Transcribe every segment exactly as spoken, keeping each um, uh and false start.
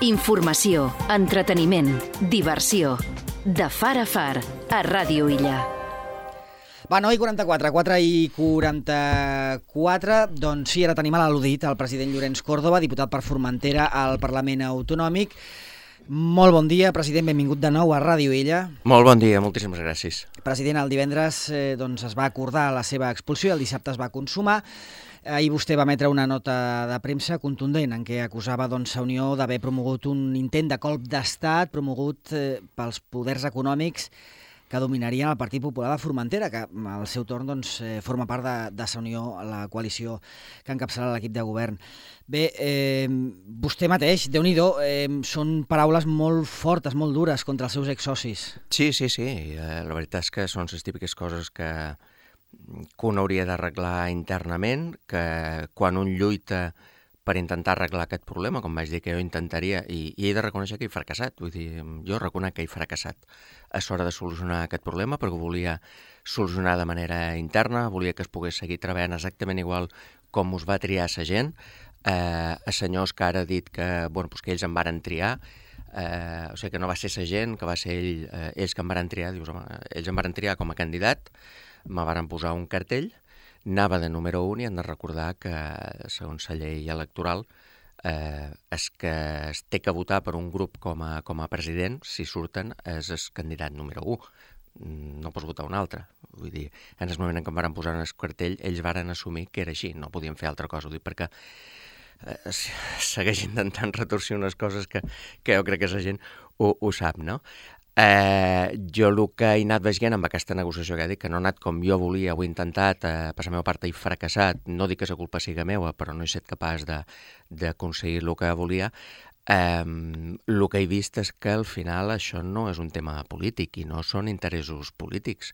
Informació, entreteniment, diversió. De far a far, a Ràdio Illa. Va, nou i quaranta-quatre, quatre i quaranta-quatre, doncs sí, ara tenim a l'al·ludit el president Llorenç Córdoba, diputat per Formentera al Parlament Autonòmic. Molt bon dia, president, benvingut de nou a Ràdio Illa. Molt bon dia, moltíssimes gràcies. President, el divendres eh, doncs es va acordar la seva expulsió i el dissabte es va consumar. Ahir vostè va emetre una nota de premsa contundent en què acusava doncs, a Unió d'haver promogut un intent de colp d'estat promogut eh, pels poders econòmics que dominarien el Partit Popular de Formentera, que al seu torn doncs, eh, forma part de, de Sa Unió, la coalició que encapçala l'equip de govern. Bé, eh, vostè mateix, Déu-n'hi-do, eh, són paraules molt fortes, molt dures contra els seus exsocis. Sí, sí, sí. Eh, la veritat és que són les típiques coses que, que un hauria d'arreglar internament, que quan un lluita per intentar arreglar aquest problema, com vaig dir que jo intentaria, i, i he de reconèixer que he fracassat, vull dir, jo reconec que he fracassat a l'hora de solucionar aquest problema, perquè volia solucionar de manera interna, volia que es pogués seguir treballant exactament igual com us va triar la gent, eh, a senyors que ara ha dit que, bueno, doncs que ells em varen triar, eh, o sigui que no va ser la gent, que va ser ell, eh, ells que em varen triar, dius, home, ells em varen triar com a candidat, me varen posar un cartell, anava de número un i hem de recordar que, segons la llei electoral, eh, és que es té que votar per un grup com a, com a president, si surten, és el candidat número un. No pots votar un altre. Vull dir, en el moment en què em van posar en el cartell, ells varen assumir que era així, no podien fer altra cosa. Ho dic perquè eh, segueix intentant retorcer unes coses que, que jo crec que la gent ho, ho sap, no? Eh, jo el que he anat veient amb aquesta negociació que he dit, que no ha anat com jo volia, ho he intentat, eh, per la meva part he fracassat, no dic que la culpa siga meva, però no he estat capaç d'aconseguir el que volia, eh, el que he vist és que al final això no és un tema polític i no són interessos polítics.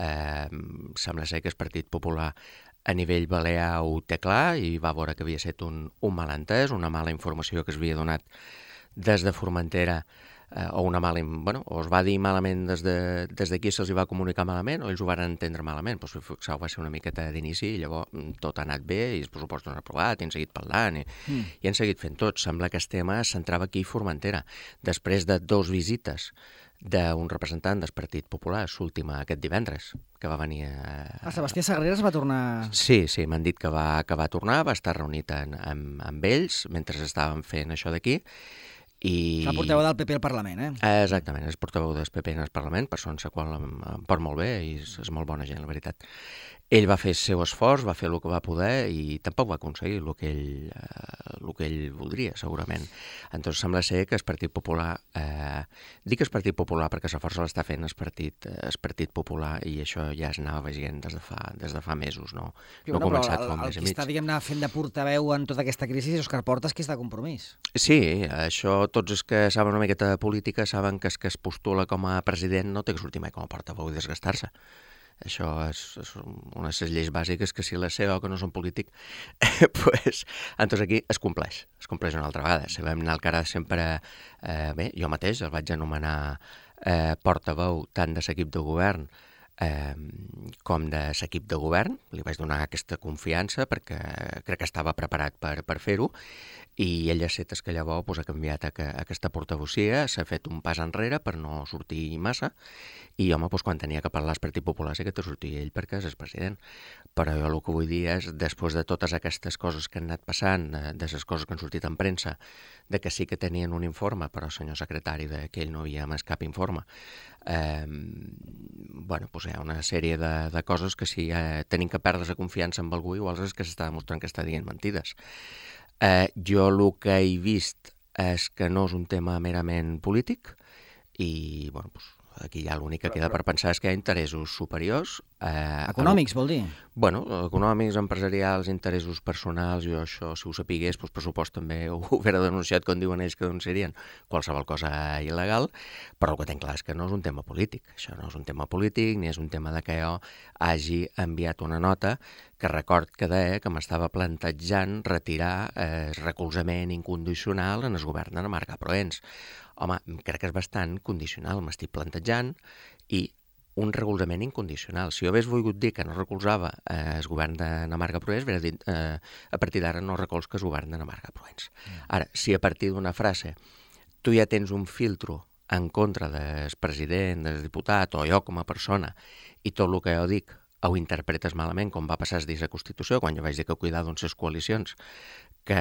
Eh, sembla ser que el Partit Popular a nivell balear ho té clar i va veure que havia estat un, un malentès, una mala informació que es havia donat des de Formentera, Eh, o una mala, bueno, o es va dir malament des d'aquí, de, des se'ls va comunicar malament, o ells ho van entendre malament. Doncs, fixeu, va ser una miqueta d'inici i llavors tot ha anat bé i els pressupostos han aprovat i han seguit parlant i, mm. i han seguit fent tot. Sembla que el tema es centrava aquí a Formentera. Després de dos visites d'un representant del Partit Popular, l'última aquest divendres, que va venir a... A Sebastià Sagreras va tornar... Sí, sí, m'han dit que va, que va tornar, va estar reunit en, amb, amb ells mentre estaven fent això d'aquí. I... El portaveu del P P al Parlament, eh? Exactament, és portaveu del P P en el Parlament, persona a la qual em, em porta molt bé i és, és molt bona gent, la veritat. Ell va fer el seu esforç, va fer el que va poder i tampoc va aconseguir el que ell, eh, el que ell voldria, segurament. Entonces sembla ser que el Partit Popular, eh, dic el Partit Popular perquè la força l'està fent el Partit, eh, el Partit Popular i això ja es anava veient des de fa, des de fa mesos, no, jo, no ha començat el, fa un mes i mig. El que està, diguem-ne, fent de portaveu en tota aquesta crisi és Òscar Portas, que és de Compromís. Sí, això tots els que saben una miqueta de política saben que el que es postula com a president no té que sortir mai com a portaveu i desgastar-se. Això és, és una de les lleis bàsiques que si les sé o que no són polític, pues, entonces aquí es compleix, es compleix una altra vegada. Si vam anar al cara sempre, eh, bé, jo mateix el vaig anomenar eh, portaveu tant de l'equip de govern eh, com de l'equip de govern, li vaig donar aquesta confiança perquè crec que estava preparat per, per fer-ho, i ell ha set que llavors pues, ha canviat a, a aquesta portavocia, s'ha fet un pas enrere per no sortir massa, i home, pues, quan tenia que parlar el Partit Popular sí que te sortia ell perquè és el president. Però jo el que vull dir és, després de totes aquestes coses que han anat passant, de les coses que han sortit en premsa, de que sí que tenien un informe, però el senyor secretari de que ell no havia més cap informe, eh, bueno, pues, hi ha una sèrie de, de coses que si eh, tenim que perdre la confiança amb algú, igual és que s'està demostrant que està dient mentides. Eh, jo el que he vist és que no és un tema merament polític i, bueno, doncs, aquí ja l'únic que queda per pensar és que hi ha interessos superiors. Eh, econòmics, vol dir? Bueno, econòmics, empresarials, interessos personals, jo això, si ho sapigués, doncs pressupost també ho hubiera denunciat, com diuen ells que denunciarien qualsevol cosa il·legal, però el que tenc clar és que no és un tema polític. Això no és un tema polític, ni és un tema de que jo hagi enviat una nota que record que deia que m'estava plantejant retirar eh, el recolzament incondicional en el govern de Marga Proens. Home, crec que és bastant condicional, m'estic plantejant, i un recolzament incondicional. Si jo hagués volgut dir que no recolzava eh, el govern de Marga Proens, hauria dit eh, a partir d'ara no recolzes el govern de Marga Proens. Ara, si a partir d'una frase tu ja tens un filtro en contra del president, del diputat, o jo com a persona, i tot el que jo dic ho interpretes malament, com va passar dins la Constitució, quan jo vaig dir que cuidar doncs les coalicions, que,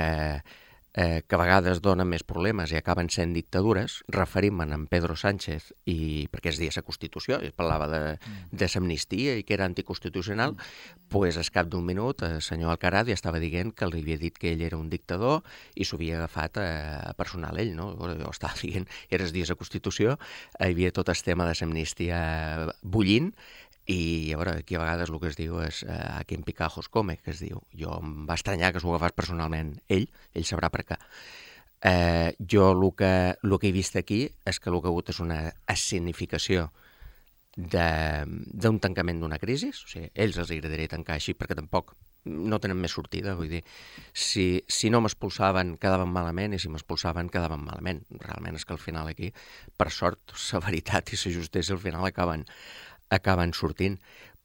eh, que a vegades donen més problemes i acaben sent dictadures, referint-me'n en Pedro Sánchez, i perquè es deia la Constitució, i parlava de, de l'amnistia i que era anticonstitucional, doncs pues, al cap d'un minut el senyor Alcaraz ja estava dient que li havia dit que ell era un dictador i s'ho havia agafat a, a personal ell, no? Jo estava dient, era el dia de la Constitució, hi havia tot el tema de l'amnistia bullint, i a veure, aquí a vegades el que es diu és uh, a quin picajos come, que es diu. Jo em va estranyar que s'ho agafés personalment ell, ell sabrà per què. Uh, jo el que, el que he vist aquí és que el que ha hagut és una escenificació d'un tancament d'una crisi, o sigui, ells els agradaria tancar així perquè tampoc no tenen més sortida, vull dir, si, si no m'expulsaven quedaven malament i si m'expulsaven quedaven malament. Realment és que al final aquí, per sort, la veritat i la justícia al final acaben acaben sortint,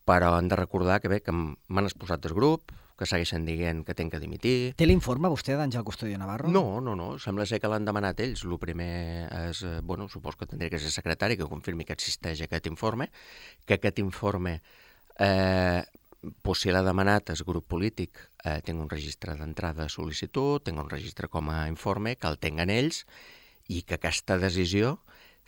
però han de recordar que bé, que m'han expulsat del grup, que segueixen dient que tenc que dimitir. Té l'informe vostè d'Àngel Custodio Navarro? No, no, no, sembla ser que l'han demanat ells. El primer és, bueno, supos que tindria que ser secretari que confirmi que existeix aquest informe, que aquest informe, eh, pues, si l'ha demanat el grup polític, eh, tinc un registre d'entrada de sol·licitud, tinc un registre com a informe, que el tinguen ells, i que aquesta decisió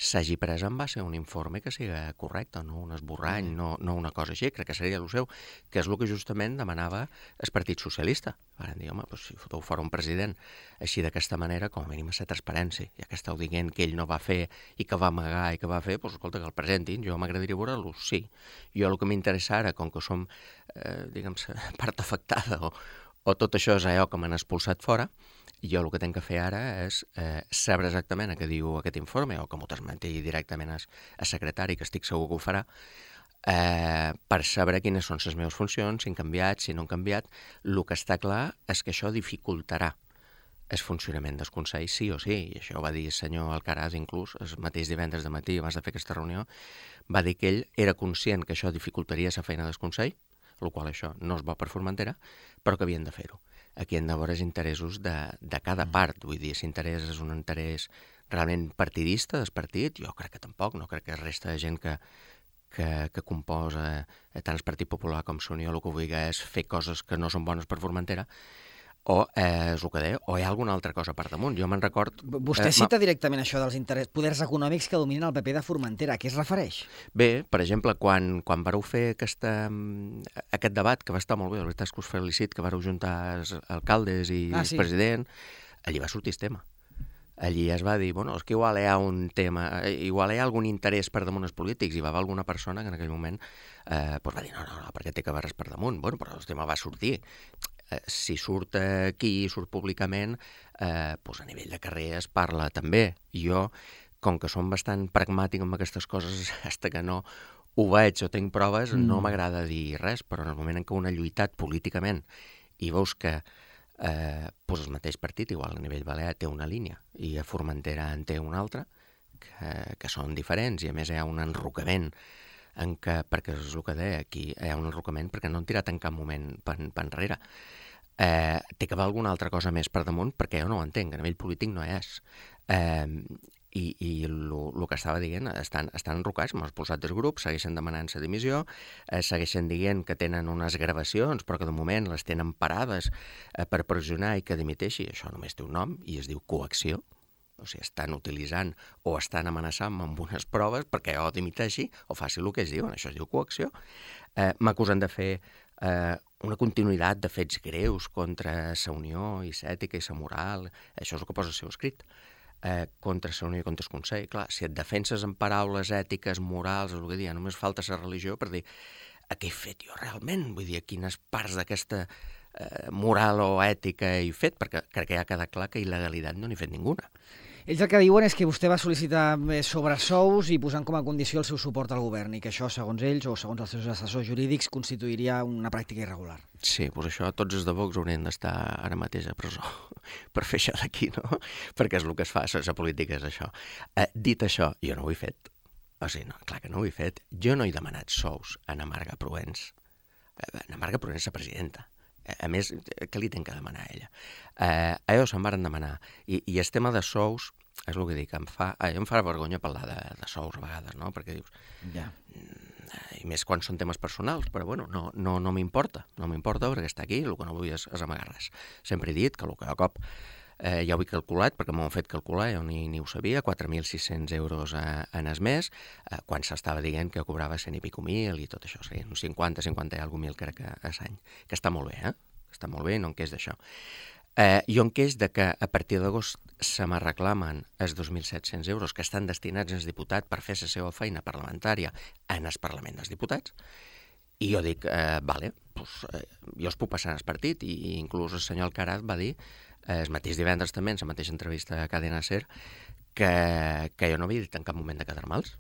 s'hagi pres en base a un informe que sigui correcte, no un esborrany, no, no una cosa així, crec que seria el seu, que és el que justament demanava el Partit Socialista. Van dir, home, doncs, si foteu fora un president així d'aquesta manera, com a mínim a ser transparència, ja que esteu dient que ell no va fer i que va amagar i que va fer, doncs escolta, que el presentin, jo m'agradaria veure-lo, sí. Jo el que m'interessa ara, com que som, eh, diguem, part afectada o, o tot això és allò que m'han expulsat fora, jo el que tinc que fer ara és eh, saber exactament què diu aquest informe, o que m'ho transmeti directament al secretari, que estic segur que ho farà, eh, per saber quines són les meves funcions, si han canviat, si no han canviat. El que està clar és que això dificultarà el funcionament del Consell, sí o sí, i això ho va dir el senyor Alcaraz inclús, el mateix divendres de matí, abans de fer aquesta reunió, va dir que ell era conscient que això dificultaria la feina del Consell, el qual això no és bo per Formentera, però que havien de fer-ho. Aquí hem de veure els interessos de, de cada part, vull dir, si l'interès és un interès realment partidista del partit, jo crec que tampoc, no crec que resta de gent que, que, que composa tant el Partit Popular com l'Unió el que vulgui és fer coses que no són bones per Formentera, o eh, és el que deia, o hi ha alguna altra cosa per damunt. Jo me'n record... Vostè eh, cita directament això dels interès, poders econòmics que dominen el P P de Formentera. A què es refereix? Bé, per exemple, quan, quan vareu fer aquesta, aquest debat, que va estar molt bé, la veritat és que us felicit, que vareu juntar els alcaldes i ah, el sí. president, allí va sortir el tema. Allí es va dir, bueno, és que igual hi ha un tema, igual hi ha algun interès per damunt els polítics, i va haver alguna persona que en aquell moment eh, pues va dir, no, no, no, perquè té que haver res per damunt. Bueno, però el tema va sortir. Eh, si surt aquí, surt públicament, eh, pues a nivell de carrer es parla també. Jo, com que som bastant pragmàtic amb aquestes coses, hasta que no ho veig o tinc proves, mm. no m'agrada dir res, però en el moment en què un ha lluitat políticament i veus que eh, pues el mateix partit, igual a nivell balear, té una línia i a Formentera en té una altra, que, que són diferents, i a més hi ha un enrocament en què, perquè és el que deia, aquí hi ha un enrocament perquè no han tirat en cap moment per, per enrere. Eh, té que haver alguna altra cosa més per damunt, perquè jo no ho entenc, a nivell polític no és. Eh, I i el que estava dient, estan, estan enrocats, m'han expulsat del grup, segueixen demanant la dimissió, eh, segueixen dient que tenen unes gravacions, però que de moment les tenen parades eh, per pressionar i que dimiteixi. Això només té un nom i es diu coacció. O sigui, estan utilitzant o estan amenaçant amb unes proves perquè jo dimiteixi o faci el que es diuen. Això es diu coacció. Eh, M'acusen de fer eh, una continuïtat de fets greus contra la Unió i l'ètica i la moral. Això és el que posa el seu escrit. Eh, contra la Unió i contra el Consell. Clar, si et defenses en paraules ètiques, morals, el que dia, només falta la religió per dir a què he fet jo realment? Vull dir, a quines parts d'aquesta eh, moral o ètica he fet? Perquè crec que ja ha quedat clar que il·legalitat no n'he fet ninguna. Ells el que diuen és que vostè va sol·licitar sobresous i posant com a condició el seu suport al govern i que això, segons ells o segons els seus assessors jurídics, constituiria una pràctica irregular. Sí, doncs això, tots els de Vox haurien d'estar ara mateix a presó per fer això d'aquí, no? Perquè és el que es fa, la política és això. Eh, dit això, jo no ho he fet. O sigui, no, clar que no ho he fet. Jo no he demanat sous a Ana Marga Proens. Ana Marga Proens és la presidenta. A més, què li tenc que demanar a ella? Eh, allò se'n varen demanar. I, I el tema de sous, és el que dic, em fa, ai, em fa vergonya parlar de, de sous a vegades, no? Perquè dius, Ja. i més quan són temes personals, però bueno, no, no, no m'importa, no m'importa perquè està aquí, el que no vull és, és amagar res. Sempre he dit que el que a cop eh, ja ho he calculat, perquè m'ho han fet calcular, jo ni, ni ho sabia, quatre mil sis-cents euros a, en es mes, eh, quan s'estava dient que cobrava cent i pico mil i tot això, serien uns cinquanta, cinquanta i alguna mil crec que a l'any, que està molt bé, eh? Està molt bé, no en queix d'això. Eh, jo en queix de que a partir d'agost se me reclamen els dos mil set-cents euros que estan destinats als diputats per fer la seva feina parlamentària en el Parlament dels Diputats, i jo dic, eh, vale, pues, eh, jo es puc passar en el partit, i inclús el senyor Alcaraz va dir, eh, el mateix divendres també, en la mateixa entrevista a Cadena Ser, que, que jo no havia dit en cap moment de quedar-me'ls.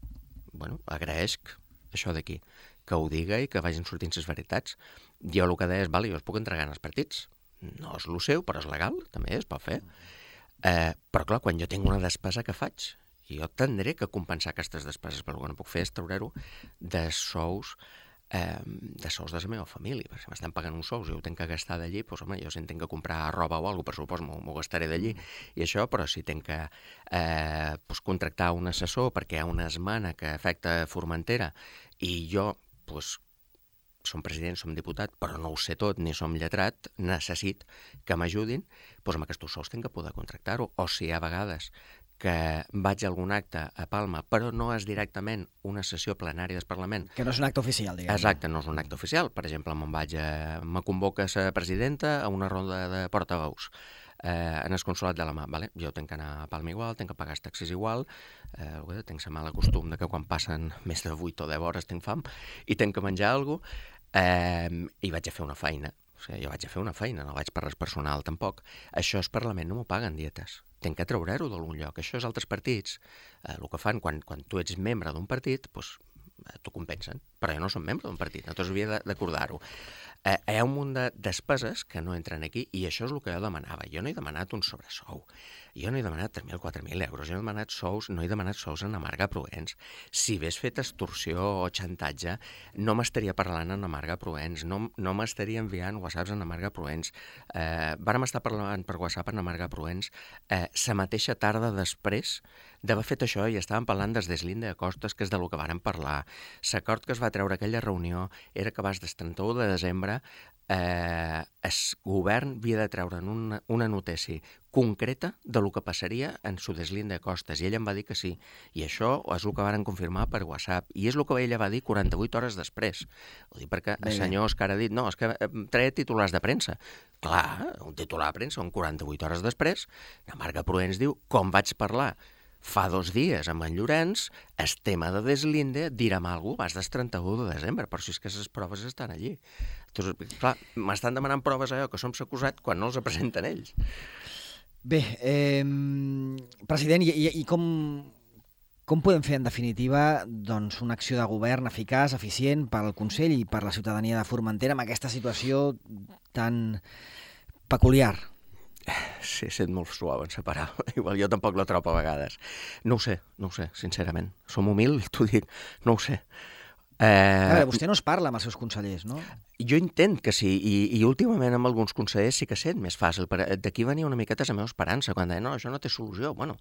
Bueno, agraeixo això d'aquí, que ho diga i que vagin sortint les veritats. Jo el que deia és, vale, jo es puc entregar en els partits, no és el seu, però és legal, també es pot fer. Eh, però clar, quan jo tinc una despesa que faig, jo tindré que compensar aquestes despeses, però el que no puc fer és treure-ho de sous eh, de sous de la meva família. Perquè si m'estan pagant uns sous i ho tinc que gastar d'allí, doncs home, jo si tinc que comprar roba o alguna cosa, per supòs, m'ho gastaré d'allí i això, però si tinc que eh, doncs, contractar un assessor perquè hi ha una esmena que afecta Formentera i jo, doncs, som president, som diputat, però no ho sé tot, ni som lletrat, necessit que m'ajudin, doncs amb aquests sous tinc que poder contractar-ho. O si hi ha vegades que vaig a algun acte a Palma, però no és directament una sessió plenària del Parlament. Que no és un acte oficial, diguem. Exacte, no és un acte oficial. Per exemple, me'n vaig a... me convoca la presidenta a una ronda de portaveus eh, en el consolat de la mà. Vale? Jo tinc que anar a Palma igual, tinc que pagar els taxis igual, eh, tinc la mala costum de que quan passen més de vuit o deu hores tinc fam i tinc que menjar alguna cosa, eh, i vaig a fer una feina. O sigui, jo vaig a fer una feina, no vaig per res personal tampoc. Això és Parlament, no m'ho paguen dietes. Tinc que treure-ho d'algun lloc. Això és altres partits. Eh, el que fan quan, quan tu ets membre d'un partit, doncs, t'ho compensen. Però jo no som membre d'un partit, no t'ho havia d'acordar-ho. Eh, hi ha un munt de despeses que no entren aquí i això és el que jo demanava. Jo no he demanat un sobresou. Jo no he demanat tres mil o quatre mil euros. Jo no he demanat sous, no he demanat sous en Amarga Proens. Si hagués fet extorsió o xantatge, no m'estaria parlant en Amarga Proens, no, no m'estaria enviant whatsapps en Amarga Proens. Eh, vàrem estar parlant per WhatsApp en Amarga Proens eh, la mateixa tarda després d'haver fet això i estàvem parlant des d'Eslinde de Costes, que és del que vàrem parlar. L'acord que es va treure aquella reunió era que abans del trenta-u de desembre eh, el govern havia de treure una, una notícia concreta de lo que passaria en su Deslinde de Costes, i ell em va dir que sí. I això és el que varen confirmar per WhatsApp, i és el que ella va dir quaranta-vuit hores després. Ho dic perquè el senyor Òscar ha dit, no, és que treia titulars de premsa. Clar, un titular de premsa, on quaranta-vuit hores després, la Marga Proens diu, com vaig parlar fa dos dies amb en Llorenç, el tema de Deslinde, direm alguna cosa, vas del trenta-u de desembre, però si és que les proves estan allí. Entonces, clar, m'estan demanant proves allò que som s'acusat quan no els presenten ells. Bé, eh, president, i, i, i com, com podem fer, en definitiva, doncs, una acció de govern eficaç, eficient per al Consell i per la ciutadania de Formentera amb aquesta situació tan peculiar? Sí, he estat molt suau en separar. Igual jo tampoc la trobo a vegades. No ho sé, no ho sé, sincerament. Som humils, t'ho dic, no ho sé. Eh... A veure, vostè no es parla amb els seus consellers, no? Jo intent que sí, i, i últimament amb alguns consellers sí que sent més fàcil. D'aquí venia una miqueta la meva esperança, quan deia, no, això no té solució. Bueno,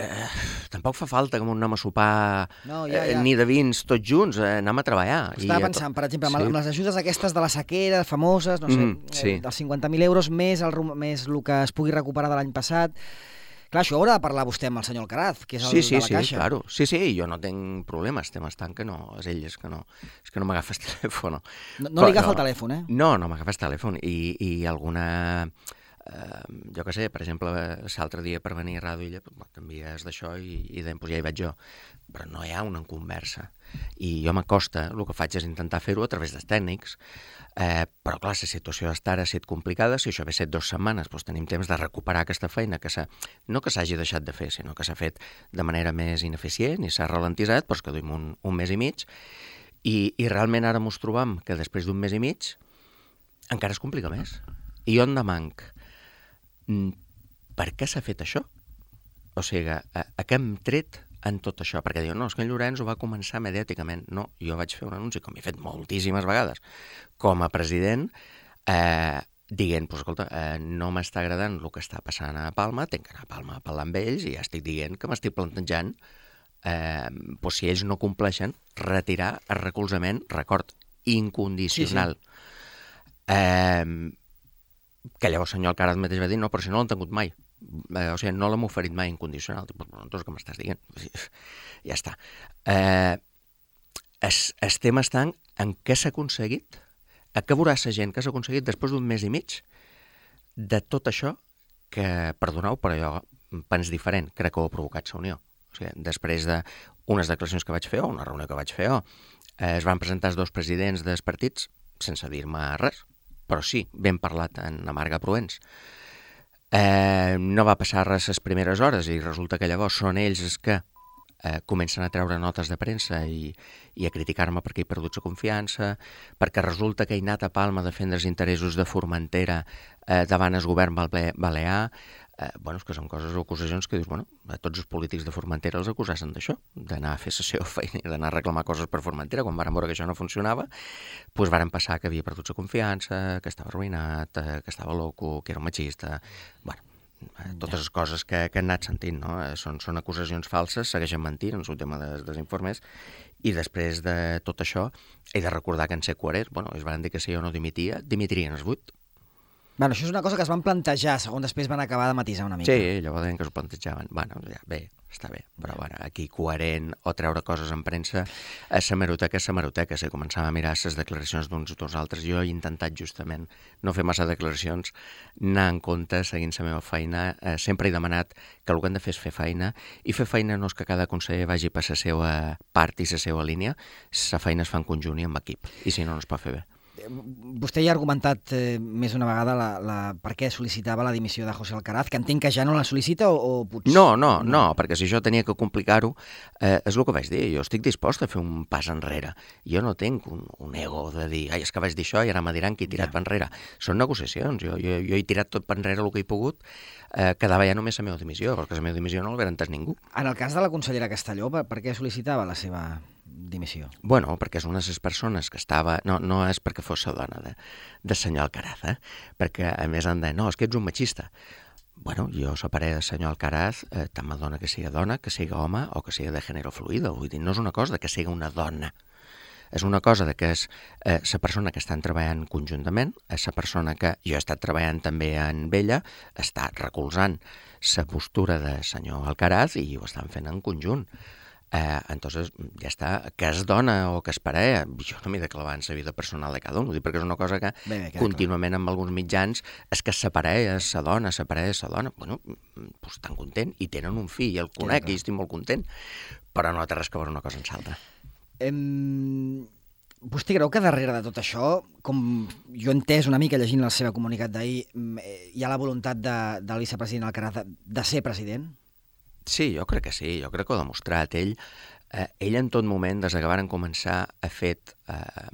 eh, tampoc fa falta que anem a sopar no, ja, ja. Eh, ni de vins tots junts, eh, anem a treballar. Estava I pensant, tot... per exemple, amb, sí. amb les ajudes aquestes de la sequera, famoses, no sé, mm, sí. eh, dels cinquanta mil euros més el, més el que es pugui recuperar de l'any passat. Clar, això haurà de parlar vostè amb el senyor Alcaraz, que és el sí, sí, de la sí, Caixa. Claro. Sí, sí, jo no tinc problemes, estem estant que no, és ell, és que no, és que no m'agafa el telèfon. No, no li agafa no, el telèfon, eh? No, no m'agafa el telèfon, i, i alguna... Eh, jo què sé, per exemple, l'altre dia per venir a Ràdio Illa, pues, t'envies d'això i, i doncs, ja hi vaig jo. Però no hi ha una conversa. I jo m'acosta, el que faig és intentar fer-ho a través dels tècnics, eh, però clar, la situació d'estar ha estat complicada, si això hagués estat dues setmanes, doncs tenim temps de recuperar aquesta feina, que no que s'hagi deixat de fer, sinó que s'ha fet de manera més ineficient i s'ha ralentitzat, però que duim un, un mes i mig, i, i realment ara ens trobam que després d'un mes i mig encara es complica més. I jo en demanc, per què s'ha fet això? O sigui, a, a què hem tret en tot això? Perquè diu, no, és que en Llorenç ho va començar mediàticament. No, jo vaig fer un anunci, com he fet moltíssimes vegades, com a president, eh, dient, pues, escolta, eh, no m'està agradant el que està passant a Palma, tenc que anar a Palma a parlar amb ells i ja estic dient que m'estic plantejant, eh, pues, si ells no compleixen, retirar el recolzament, record, incondicional. Sí, sí. Eh, que llavors el senyor Alcaraz mateix va dir, no, però si no l'han tingut mai. Eh, o sigui, no l'hem oferit mai incondicional. Pues, bueno, doncs què m'estàs dient? Ja està. Eh, es, es tema està en què s'ha aconseguit, a què veurà la gent que s'ha aconseguit després d'un mes i mig de tot això que, perdoneu, però jo pens diferent, crec que ho ha provocat la Unió. O sigui, després d'unes declaracions que vaig fer o una reunió que vaig fer o, eh, es van presentar els dos presidents dels partits sense dir-me res, però sí, ben parlat en Amarga Proens. Eh, no va passar res les primeres hores i resulta que llavors són ells els que eh, comencen a treure notes de premsa i, i a criticar-me perquè he perdut la confiança, perquè resulta que he anat a Palma a defendre els interessos de Formentera eh, davant el govern balear. Eh, bueno, és que són coses o acusacions que dius, bueno, a tots els polítics de Formentera els acusassen d'això, d'anar a fer la seva feina i d'anar a reclamar coses per Formentera. Quan varen veure que això no funcionava, doncs varen passar que havia perdut la confiança, que estava arruïnat, eh, que estava loco, que era un machista. Bueno, totes les coses que, que han anat sentint, no? Són, són acusacions falses, segueixen mentint en el tema dels, dels informes, i després de tot això he de recordar que en ser coherents, bueno, ells van dir que si jo no dimitia, dimitirien els vuit. Bueno, això és una cosa que es van plantejar, segons després van acabar de matisar una mica. Sí, llavors deien que s'ho plantejaven. Bueno, ja, bé, està bé, però bueno, aquí coherent o treure coses en premsa, a l'hemeroteca és l'hemeroteca. Si començàvem a mirar les declaracions d'uns i dels altres, jo he intentat justament no fer massa declaracions, anar en compte, seguint la meva feina. Eh, sempre he demanat que el que hem de fer és fer feina, i fer feina no és que cada conseller vagi per la seva part i la seva línia, la feina es fa en conjunt i en equip, i si no, no es pot fer bé. Vostè ja ha argumentat eh, més d'una vegada la, la, per què sol·licitava la dimissió de José Alcaraz, que entenc que ja no la sol·licita o, o potser... No, no, no, perquè si jo tenia que complicar-ho, eh, és el que vaig dir, jo estic dispost a fer un pas enrere. Jo no tinc un, un ego de dir, ai, és que vaig dir això i ara me diran que he tirat ja. per enrere. Són negociacions, jo, jo, jo he tirat tot per enrere el que he pogut, eh, quedava ja només la meva dimissió, perquè la meva dimissió no l'haver entès ningú. En el cas de la consellera Castelló, per, per què sol·licitava la seva dimissió? Bueno, perquè és una de les persones que estava... No, no és perquè fos la dona de, de senyor Alcaraz, eh? Perquè a més han de... No, és que ets un machista. Bueno, jo separé del senyor Alcaraz, eh, tant m'adona que sigui dona, que sigui home o que sigui de gènere fluido. Vull dir, no és una cosa de que sigui una dona. És una cosa de que és eh, la persona que estan treballant conjuntament, és la persona que jo he estat treballant també amb ella, està recolzant la postura de senyor Alcaraz i ho estan fent en conjunt. Eh, entonces, ja està, que es dona o que es parella, jo no m'he de clavar en la vida personal de cada un, ho dic perquè és una cosa que bé, bé, contínuament clar. Amb alguns mitjans és que la parella és la dona, la parella és la dona, bueno, doncs estan content i tenen un fill, i el conec i estic molt content, però no té res que veure una cosa en l'altra. Em... Vostè creu que darrere de tot això, com jo he entès una mica llegint el seu comunicat d'ahir, hi ha la voluntat de, del vicepresident Alcaraz de, de ser president? Sí, jo crec que sí, jo crec que ho ha demostrat. Ell, eh, ell en tot moment, des que varen començar, ha fet... Eh,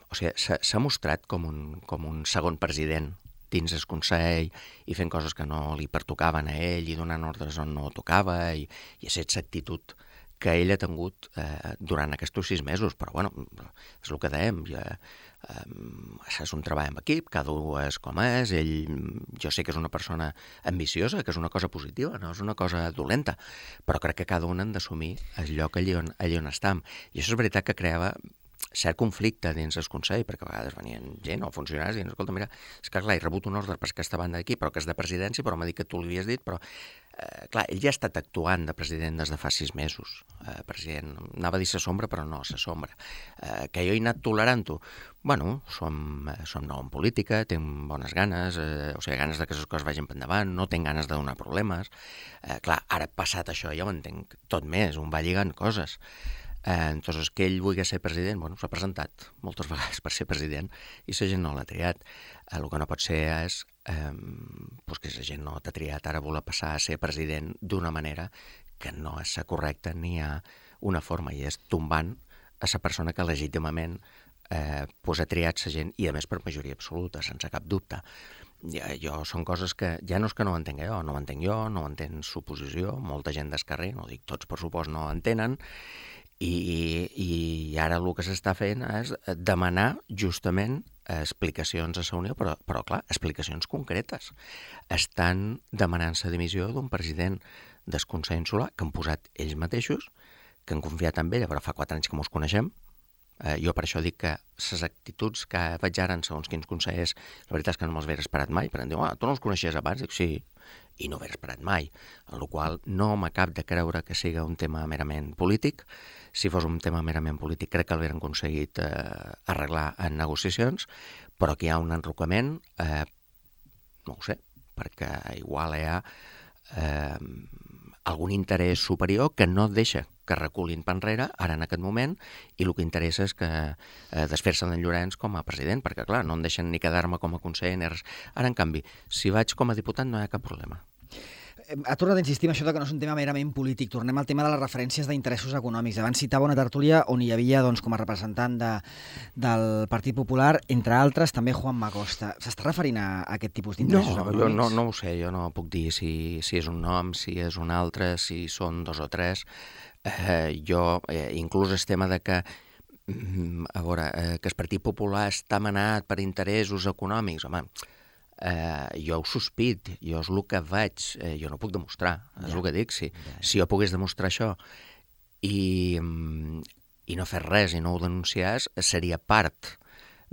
o sigui, s'ha mostrat com un, com un segon president dins el Consell i fent coses que no li pertocaven a ell i donant ordres on no tocava i, i ha set l'actitud que ell ha tingut eh, durant aquests sis mesos. Però, bueno, és el que dèiem, ja, eh, és un treball en equip, cada un és com és, ell, jo sé que és una persona ambiciosa, que és una cosa positiva, no és una cosa dolenta, però crec que cada un han d'assumir el lloc allí on, allí on estem. I això és veritat que creava cert conflicte dins el Consell, perquè a vegades venien gent o funcionaris i diuen, escolta, mira, és que clar, he rebut un ordre per aquesta banda d'aquí, però que és de presidència, però m'ha dit que tu l'havies dit, però eh, clar, ell ja ha estat actuant de president des de fa sis mesos. Eh, president, anava a dir sa sombra, però no, sa sombra. Eh, que jo he anat tolerant-ho. Bueno, som, som nou en política, tinc bones ganes, eh, o sigui, ganes de que les coses vagin per endavant, no tinc ganes de donar problemes. Eh, clar, ara passat això ja ho entenc tot més, un va lligant coses. Eh, entonces, que ell vulgui ser president, bueno, s'ha presentat moltes vegades per ser president i la gent no l'ha triat. Eh, el que no pot ser és eh, pues que la gent no t'ha triat, ara voler passar a ser president d'una manera que no és correcta ni hi ha una forma, i és tombant a la persona que legítimament eh, pues ha triat la gent, i a més per majoria absoluta, sense cap dubte. Ja, jo, són coses que ja no és que no ho entenc jo, no ho entenc jo, no ho entén l'oposició, molta gent del carrer, no dic tots per supost, no ho entenen, i, i ara el que s'està fent és demanar justament explicacions a la Unió, però, però clar, explicacions concretes. Estan demanant la dimissió d'un president del Consell Insular que han posat ells mateixos, que han confiat en ella, però fa quatre anys que mos coneixem. Eh, jo per això dic que les actituds que veig ara en segons quins consellers, la veritat és que no me'ls hagués esperat mai, perquè em diuen, ah, tu no els coneixies abans? Dic, sí, i no ho hagués esperat mai, en la qual no m'acab de creure que siga un tema merament polític. Si fos un tema merament polític, crec que l'haurien aconseguit eh, arreglar en negociacions, però que hi ha un enrocament, eh, no ho sé, perquè igual hi ha eh, algun interès superior que no deixa que reculin per enrere, ara en aquest moment, i el que interessa és que eh, desfer-se d'en Llorenç com a president, perquè clar, no em deixen ni quedar-me com a conseller ni res. Ara, en canvi, si vaig com a diputat no hi ha cap problema. Ha tornat a insistir en això que no és un tema merament polític. Tornem al tema de les referències d'interessos econòmics. Abans citava una tertúlia on hi havia, doncs, com a representant de, del Partit Popular, entre altres, també Juan Macosta. S'està referint a, a aquest tipus d'interessos no, econòmics? No, no ho sé, jo no puc dir si, si és un nom, si és un altre, si són dos o tres. Eh, jo, eh, inclús el tema de que a veure, eh, que el Partit Popular està manat per interessos econòmics, home, eh, jo ho sospit, jo és el que vaig, eh, jo no puc demostrar, és ja. el que dic, si, ja. si jo pogués demostrar això i, i no fer res i no ho denunciés, seria part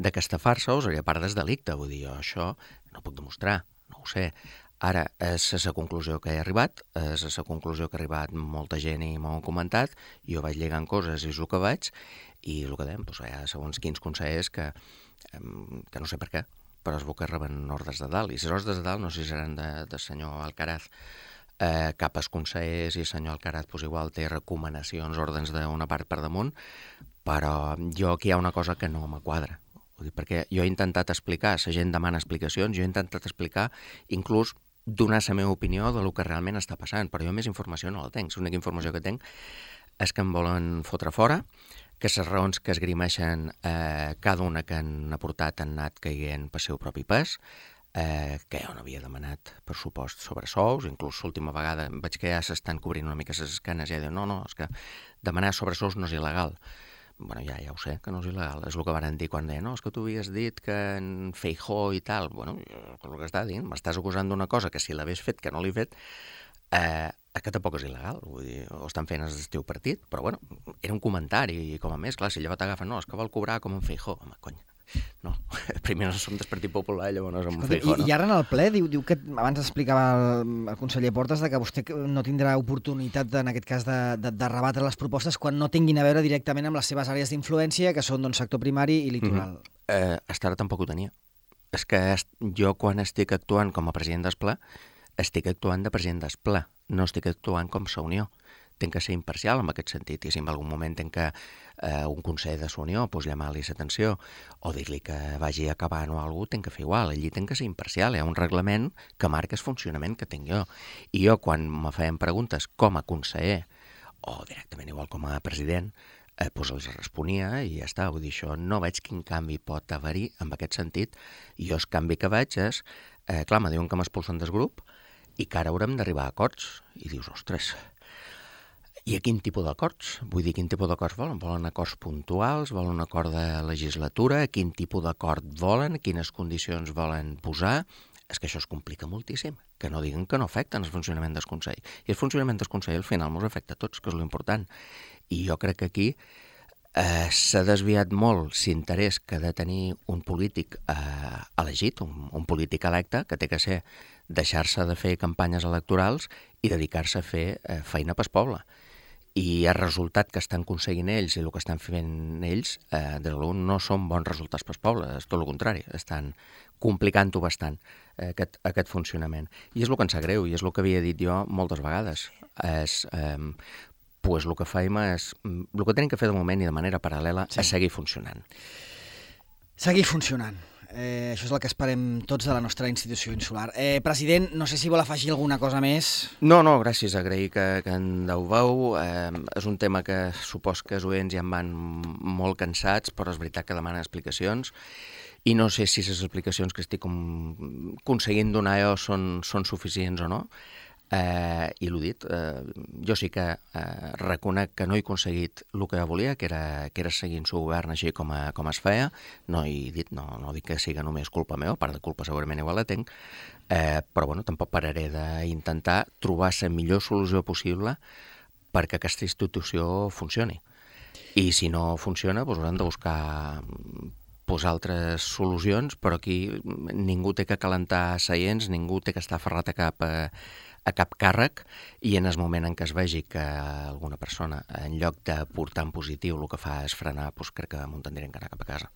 d'aquesta farsa o seria part del delicte, vull dir, jo això no puc demostrar, no ho sé. Ara, és la conclusió que he arribat, és la conclusió que ha arribat molta gent i m'ho han comentat, jo vaig lligant coses i és el que vaig, i el que dèiem, doncs, hi ha segons quins consellers que, que no sé per què, però es veu que reben ordres de dalt, i les ordres de dalt no sé si seran de, de senyor Alcaraz, eh, cap als consellers i el senyor Alcaraz doncs, igual té recomanacions, ordres d'una part per damunt, però jo aquí hi ha una cosa que no m'quadra. Perquè jo he intentat explicar, la gent demana explicacions, jo he intentat explicar, inclús donar la meva opinió de lo que realment està passant, però jo més informació no la tenc. L'única informació que tenc és que em volen fotre fora, que les raons que esgrimeixen eh, cada una que han aportat han anat caient per seu propi pes, eh, que jo no havia demanat pressupost sobre sous, inclús l'última vegada veig que ja s'estan cobrint una mica les esquenes i ja diuen, no, no, és que demanar sobre sous no és il·legal. Bueno, ja, ja ho sé, que no és il·legal. És el que van dir quan deien, no, és que tu havies dit que en Feijóo i tal. Bueno, és el que està dient, m'estàs acusant d'una cosa que si l'hagués fet, que no l'he fet, eh, que tampoc és il·legal. Vull dir, ho estan fent el teu partit, però bueno, era un comentari, i com a més, clar, si llavors t'agafen, no, és que vol cobrar com en Feijóo. Home, cony, no, primer no som del Partit Popular, llavors no som en Feijóo, no? I ara en el ple diu, diu que, abans explicava el, el conseller Portes, de que vostè no tindrà oportunitat, en aquest cas, de, de, de rebatre les propostes quan no tinguin a veure directament amb les seves àrees d'influència, que són doncs, sector primari i litoral. Mm-hmm. eh, Hasta ara tampoc ho tenia. És que jo, quan estic actuant com a president del ple, estic actuant de president del ple, no estic actuant com la Unió. Tenc que ser imparcial en aquest sentit, i si en algun moment tenc que eh, un consell de la Unió pues, llamar-li l'atenció o dir-li que vagi acabant o alguna cosa, tenc que fer igual. Allí tenc que ser imparcial, hi ha un reglament que marca el funcionament que tinc jo. I jo, quan me feien preguntes com a conseller o directament igual com a president, eh, pues els responia i ja està. Vull dir, això no veig quin canvi pot haver-hi en aquest sentit. I jo el canvi que veig és, eh, clar, me diuen que m'expulsen del grup i que ara haurem d'arribar a acords. I dius, ostres, i a quin tipus d'acords? Vull dir, quin tipus d'acords volen? Volen acords puntuals? Volen un acord de legislatura? Quin tipus d'acord volen? Quines condicions volen posar? És que això es complica moltíssim. Que no diguen que no afecten el funcionament del Consell. I el funcionament del Consell al final ens afecta a tots, que és l'important. I jo crec que aquí eh, s'ha desviat molt l'interès que ha de tenir un polític eh, elegit, un, un polític electe, que té que ser deixar-se de fer campanyes electorals i dedicar-se a fer eh, feina pel poble. I el resultat que estan aconseguint ells i el que estan fent ells, eh, des de l'un, no són bons resultats pel poble, és tot el contrari, estan complicant-ho bastant, eh, aquest, aquest funcionament. I és el que ens sap greu, i és el que havia dit jo moltes vegades. És, eh, pues el que faim és, el que tenim que fer de moment i de manera paral·lela sí. és seguir funcionant. Seguir funcionant. Eh, això és el que esperem tots de la nostra institució insular. Eh, president, no sé si vol afegir alguna cosa més. No, no, gràcies, agrair que, que en deuveu. Eh, és un tema que supos que els oients ja en van molt cansats, però és veritat que demanen explicacions. I no sé si les explicacions que estic com, aconseguint donar jo són, són suficients o no. Eh, I l'ho dit, eh, jo sí que eh, reconec que no he aconseguit el que volia, que era, que era seguir el seu govern així com, a, com es feia. No he dit, no, no dic que siga només culpa meva, part de culpa segurament igual la tenc, eh, però bueno, tampoc pararé d'intentar trobar la millor solució possible perquè aquesta institució funcioni. I si no funciona, doncs haurem de buscar pues, altres solucions, però aquí ningú té que calentar seients, ningú té que estar aferrat a cap, a, a cap càrrec, i en el moment en què es vegi que alguna persona, en lloc de portar en positiu, el que fa és frenar, doncs crec que m'ho tindrem que anar cap a casa.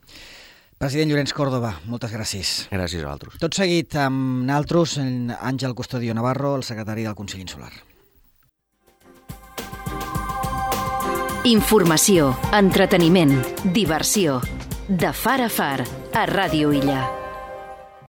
President Llorenç Córdoba, moltes gràcies. Gràcies a vosaltres. Tot seguit amb naltros, Àngel Custodio Navarro, el secretari del Consell Insular. Informació, entreteniment, diversió. De far a far, a Ràdio Illa.